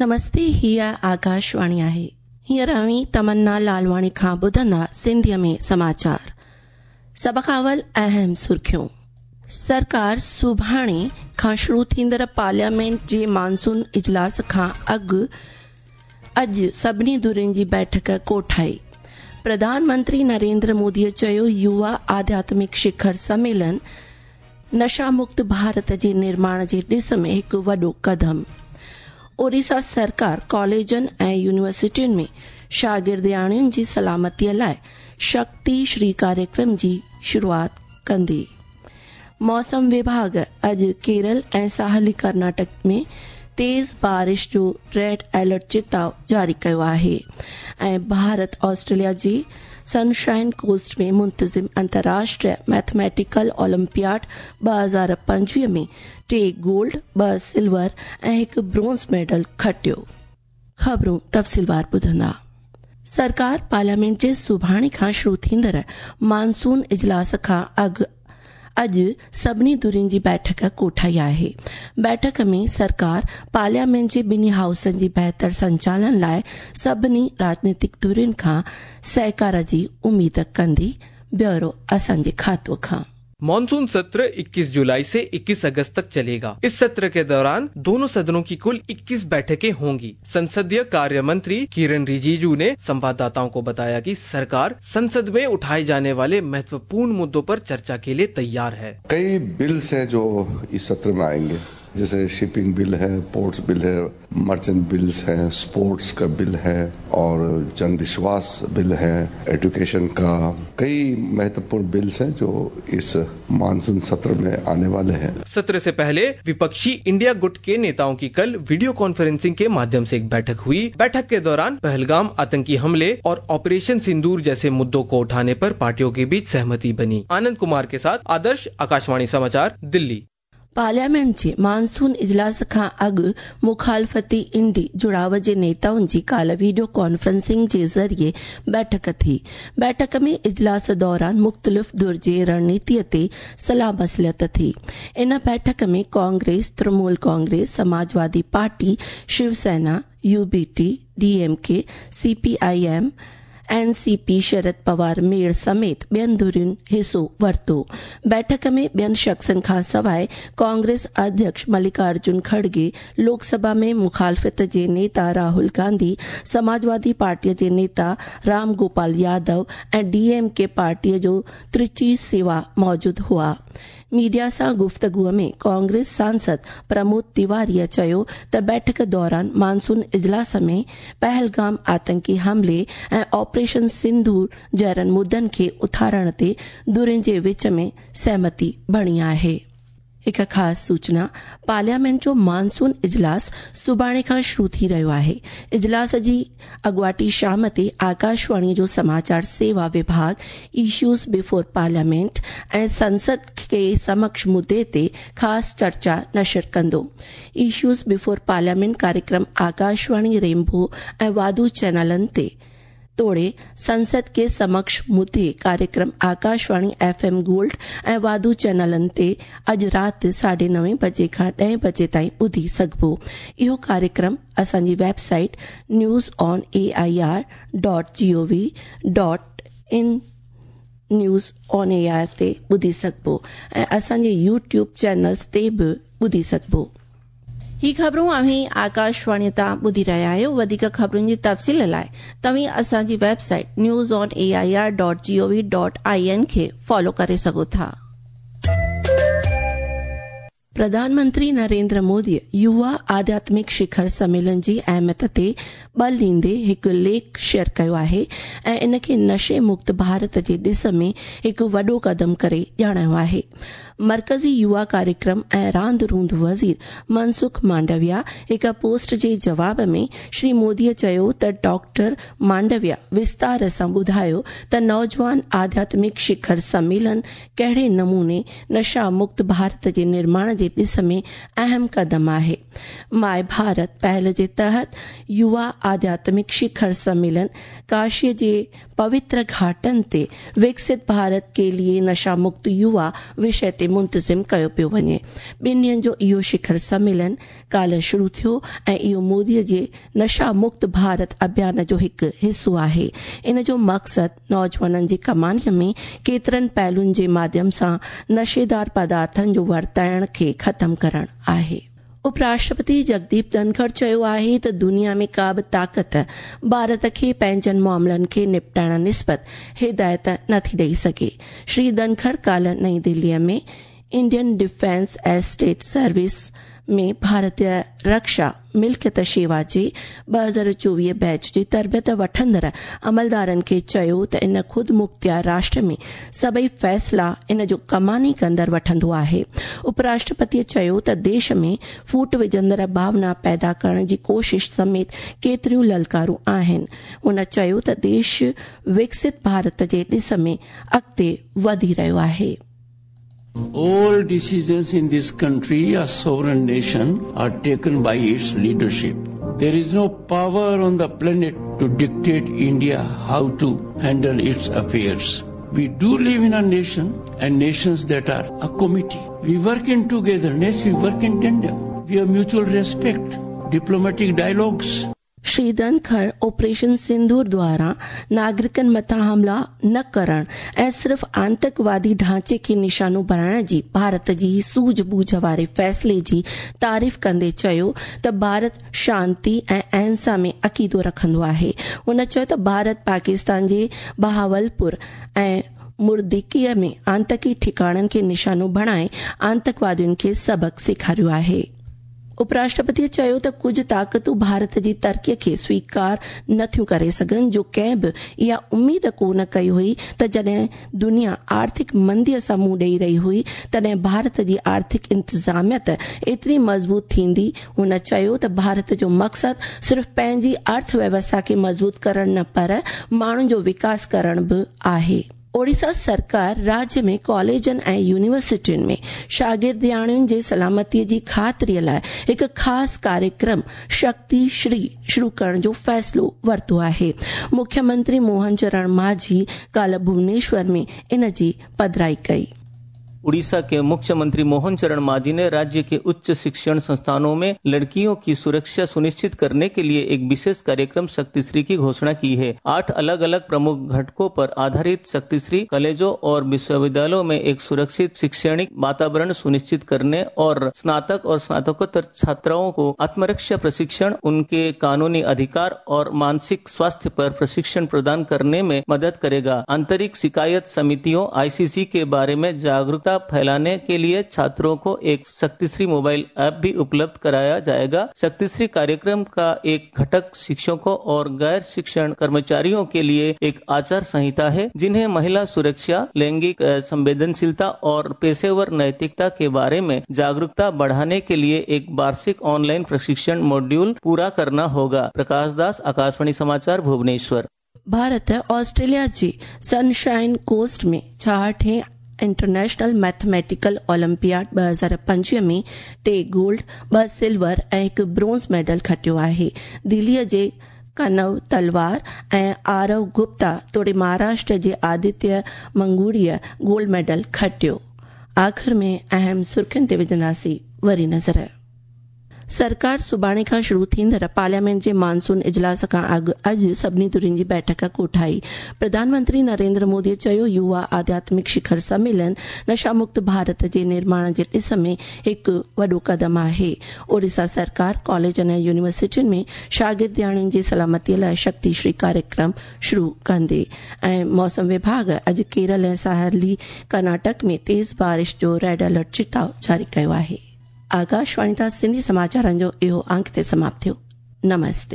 نمستي هيء آڪاشواڻي آهي. هينئر اوهين تمنا لالواڻي کان ٻڌندا سنڌيء ۾ سماچار. سڀ کان اول اهم سرخيون. سرڪار سڀاڻي کان شروع ٿيندڙ پارليامينٽ جي مانسون اجلاس کان اڳ اڄ سڀني ڌرين جي بيٺڪ ڪوٺائي. پرڌان منتري نريندر موديء چيو يووا آڌياتمڪ شکر سميلن نشا مڪت ڀارت جي نرماڻ جي ڏس ۾ هڪ وڏو قدم. اوريسا سرڪار ڪاليجن ۽ يونيورسٽين ۾ شاگردياڻين جي سلامتيء لاء شڪتي شري ڪاريڪرم جي شروعات ڪندي. موسم وڀاڳ اڄ ڪيرل ۽ ساحلي ڪرناٽڪ ۾ تيز بارش جو ريڊ الرٽ چتاء جاري ڪيو آهي ۽ ڀارت آسٽريليا جي سنشائن ڪوسٽ ۾ منتظم انترراشٽريه ميٿميٽيڪل اولمپياڊ 2025 ۾ ٽي گولڊ، ٻه سلور ۽ هڪ برونز ميڊل کٽيو. خبرون تفصيلوار ٻڌندا. سرڪار پارليامينٽ جي سڀاڻي کان شروع ٿيندڙ مانسون اجلاس کان اڳ اڄ سڀني ڌرين جي بيٺڪ ڪوٺائي آهي. بيٺڪ ۾ سرڪار پارليامينٽ جي ٻنهي هائوسن جي بهتر سنچالن لاء سڀني راڄنيتڪ ڌرين کان سهڪار جي اميد ڪندي. بيورو اسان جي کاتو کان. मानसून सत्र 21 जुलाई से 21 अगस्त तक चलेगा। इस सत्र के दौरान दोनों सदनों की कुल 21 बैठकें होंगी। संसदीय कार्य मंत्री किरण रिजिजू ने संवाददाताओं को बताया कि सरकार संसद में उठाए जाने वाले महत्वपूर्ण मुद्दों पर चर्चा के लिए तैयार है। कई बिल्स हैं जो इस सत्र में आएंगे, जैसे शिपिंग बिल है, पोर्ट्स बिल है, मर्चेंट बिल्स हैं, स्पोर्ट्स का बिल है और जन विश्वास बिल है, एजुकेशन का, कई महत्वपूर्ण बिल्स हैं जो इस मानसून सत्र में आने वाले हैं। सत्र से पहले विपक्षी इंडिया गुट के नेताओं की कल वीडियो कॉन्फ्रेंसिंग के माध्यम से एक बैठक हुई। बैठक के दौरान पहलगाम आतंकी हमले और ऑपरेशन सिंदूर जैसे मुद्दों को उठाने पर पार्टियों के बीच सहमति बनी। आनंद कुमार के साथ आदर्श, आकाशवाणी समाचार, दिल्ली। पार्लियामेंट जे मानसून इजलास खां अॻु मुखालफ़ती इंडी जुड़ाव जे नेताउनि जी काल्ह वीडियो कॉन्फ्रेंसिंग जे ज़रिए बैठक थी। बैठक में इजलास दौरान मुख़्तलिफ़ धुर जे रणनीतीअ ते सलाह मसलत थी। इन बैठक में Congress, Trinamool Congress, Samajwadi party, Shiv Sena, UBT, DMK, CPIM, NCP Sharad Pawar मेड़ समेत ॿियनि धुरियुनि हिसो वरितो। बैठक में ॿियनि शख़्सनि खां सवाइ कांग्रेस अध्यक्ष मल्लिकार्जुन खड़गे, लोकसभा में मुखालफ़त जे नेता राहुल गांधी, समाजवादी पार्टीअ जे नेता राम गोपाल यादव ऐं डीएमके पार्टीअ जो त्रिची सेवा मौजूद हुआ। मीडिया सां गुफ़्तगूअ में कांग्रेस सांसद प्रमोद तिवारीअ चयो त बैठक दौरान मानसून इजलास में पहलगाम आतंकी हमले ऐं ऑपरेशन सिंदूर जहिड़नि मुद्दनि खे उथारण ते धुरियुनि जे विच में सहमति बणी आहे। हिकु ख़ासि सूचना, पार्लियामेंट जो मानसून इजलास सुभाणे खां शुरू थी रहियो आहे। इजलास जी अॻुवाटी शाम ते आकाशवाणीअ जो समाचार सेवा विभाग इश्यूज बिफोर पार्लियामेंट ऐं संसद के समक्ष मुद्दे ते ख़ासि चर्चा नशर कंदो। इश्यूज बिफोर पार्लियामेंट कार्यक्रम आकाशवाणी रेनबो ऐं वाधू चैनलनि ते तोड़े संसद के समक्ष मुद्दे कार्यक्रम आकाशवाणी एफएम गोल्ड ऐं वाधू चैनलनि ते अॼु राति 9:30 बजे खां 10 बजे ताईं ॿुधी सघिबो। इहो कार्यक्रम असांजी website news on A I R dot G O V dot in news on A R ते ॿुधी सघिबो ऐं असांजे यूट्यूब चैनल्स ते बि ॿुधी सघिबो। ही ख़बरूं अव्हीं आकाशवाणी तां ॿुधी रहिया आहियो। वधीक ख़बरुनि जी तफ़सील लाइ तव्हीं असांजी website news on A I R dot G O V dot I N खे फॉलो करे सघो था। प्रधानमंत्री नरेंद्र मोदीअ युवा आध्यात्मिक शिखर सम्मेलन जी अहमियत ते बल ॾींदे हिकु लेख शेयर कयो आहे ऐं इन खे नशे मुक्त भारत जे ॾिस में हिकु वॾो कदम करे ॼाणायो आहे। मर्कज़ी युवा कार्यक्रम ऐं रांदि रूंद वज़ीर मनसुख मांडविया हिकु पोस्ट जे जवाब में श्री मोदीअ चयो त डॉक्टर मांडविया विस्तार सां ॿुधायो त नौजवान आध्यात्मिक शिखर सम्मेलन कहिड़े नमूने नशा मुक्त भारत जे निर्माण جي ڏس ۾ اهم قدم آهي. مائي ڀارت پهل جي تحت يووا آڌياتمڪ شکر سميلن ڪاشيء جي پوتر گهاٽن تي وڪست ڀارت ڪي ليي نشا مڪت يووا وشي تي منتظم ڪيو پيو وڃي. ٻن ڏينهن جو اهو شکر سميلن ڪالهه شروع ٿيو ۽ اهو موديء جي نشا مڪت ڀارت اڀيان جو هڪ حصو آهي. ان جو مقصد نوجوانن جي ڪمانيء ۾ ڪيترن پهلوئن جي ماڌيم سان نشيدار پدارٿن جو ورتائڻ کي ختم ڪرڻ آهي. اپراشٽرپتي جگديپ ڌنکڙ چيو آهي ته دنيا ۾ ڪا به طاقت ڀارت کي پنهنجن معاملن کي نپٽائڻ نسبت هدايت نٿي ڏئي سگهي. شري ڌنکڙ ڪالهه نئين دليء ۾ انڊين ڊفينس ايسٽيٽ سروس ۾ ڀارتيه رڪشا ملڪيت شيوا جي 2024 بيچ جي تربيت وٺندڙ عملدارن کي چيو ته ان خودمختيار راشٽر ۾ سڀئي فيصلا ان جو ڪماني ڪندڙ وٺندو آهي. اپراشٽرپتيء چيو ته ديش ۾ ڦوٽ وجهندڙ ڀاونا پيدا ڪرڻ جي ڪوشش سميت ڪيتريون للڪارون آهن. هن چيو ته ديش وڪست ڀارت جي ڏس ۾ اڳتي وڌي رهيو آهي. All decisions in this country, a sovereign nation, are taken by its leadership. There is no power on the planet to dictate India how to handle its affairs. We do live in a nation and nations that are a committee. We work in togetherness, we work in tandem. We have mutual respect, diplomatic dialogues. Shri Dhankhar operation Sindoor دواران ناگرڪن مٿان حملا نه ڪرڻ ۽ صرف آتنڪوادي ڍانچي کي نشانو بڻائڻ جي ڀارت جي سوجهه ٻوجهه واري فيصلي جي تعريف ڪندي چيو ته ڀارت شانتي ۽ اهنسا ۾ عقيدو رکندو آهي. هن چيو ته ڀارت پاڪستان جي بهاولپور ۽ مردڪيء ۾ آتنڪي ٺڪاڻن کي نشانو بڻائي آتنڪوادين کي سبق سيکاريو آهي. اپراشٽرپتيء چيو ته ڪجهه طاقتون ڀارت جي ترقيء کي سويڪار نٿيون ڪري سگهن جو ڪنهن به اها اميد ڪو نه ڪئي هئي ته جڏهن دنيا آرٿڪ منديء سان منهن ڏئي رهي هئي تڏهن ڀارت جي آرٿڪ انتظاميت ايتري مضبوط ٿيندي. هن چيو ته ڀارت جو مقصد صرف پنهنجي ارٿ ويوسٿا کي مضبوط ڪرڻ نه پر ماڻهن جو وڪاس ڪرڻ به آهي. اوڙيسا سرڪار راجيه ۾ ڪاليجن ۽ يونيورسٽين ۾ شاگردياڻين جي سلامتي جي خاطريء لاء هڪ خاص ڪاريڪرم شڪتي شري شروع ڪرڻ جو فيصلو ورتو آهي. مکيه منتري موهن چرڻ ماجهي ڪالهه ڀونيشور ۾ ان جي پڌرائي ڪئي. उड़ीसा के मुख्यमंत्री मोहन चरण माझी ने राज्य के उच्च शिक्षण संस्थानों में लड़कियों की सुरक्षा सुनिश्चित करने के लिए एक विशेष कार्यक्रम शक्तिश्री की घोषणा की है। 8 अलग अलग प्रमुख घटकों पर आधारित शक्तिश्री कॉलेजों और विश्वविद्यालयों में एक सुरक्षित शैक्षणिक वातावरण सुनिश्चित करने और स्नातक और स्नातकोत्तर छात्राओं को आत्मरक्षा प्रशिक्षण, उनके कानूनी अधिकार और मानसिक स्वास्थ्य पर प्रशिक्षण प्रदान करने में मदद करेगा। आंतरिक शिकायत समितियों आईसीसी के बारे में जागरूकता फैलाने के लिए छात्रों को एक शक्तिश्री मोबाइल ऐप भी उपलब्ध कराया जाएगा। शक्तिश्री कार्यक्रम का एक घटक शिक्षकों और गैर शिक्षण कर्मचारियों के लिए एक आचार संहिता है, जिन्हें महिला सुरक्षा, लैंगिक संवेदनशीलता और पेशेवर नैतिकता के बारे में जागरूकता बढ़ाने के लिए एक वार्षिक ऑनलाइन प्रशिक्षण मॉड्यूल पूरा करना होगा। प्रकाश दास, आकाशवाणी समाचार, भुवनेश्वर। भारत ऑस्ट्रेलिया जे सनशाइन कोस्ट में 66हें इंटरनेशनल मैथमेटिकल ओलंपियाड 2025 में 3 गोल्ड, 2 सिल्वर ऐं 1 ब्रोंज़ मेडल खटियो आहे। दिल्लीअ जे कनव तलवार ऐं आरव गुप्ता तोड़े महाराष्ट्र जे आदित्य मंगूड़ीअ गोल्ड मेडल खटियो। आख़िर में अहम सुर्खियुनि ते विझंदासीं वरी नज़र। सरकार सुभाणे खां शुरू थींदड़ पार्लियामेंट जे मानसून इजलास खां अॻु अॼु सभिनी धुरियुनि जी बैठक कोठाई। प्रधानमंत्री नरेंद्र मोदीअ चयो, युवा आध्यात्मिक शिखर सम्मेलन नशा मुक्त भारत जे निर्माण जे ॾिस में हिकु वॾो कदम आहे। ओडिशा सरकार कॉलेजनि ऐं यूनिवर्सिटियुनि में शागिर्दियाणियुनि जी सलामतीअ लाइ शक्तिश्री कार्यक्रम शुरू कंदे। ऐं मौसम विभाग अॼु केरल ऐं साहली कर्नाटक में तेज़ बारिश जो रेड अलर्ट चिताव जारी कयो आहे। आकाशवाणी तां सिंधी समाचारनि जो इहो अंक ते समाप्त थियो। नमस्ते।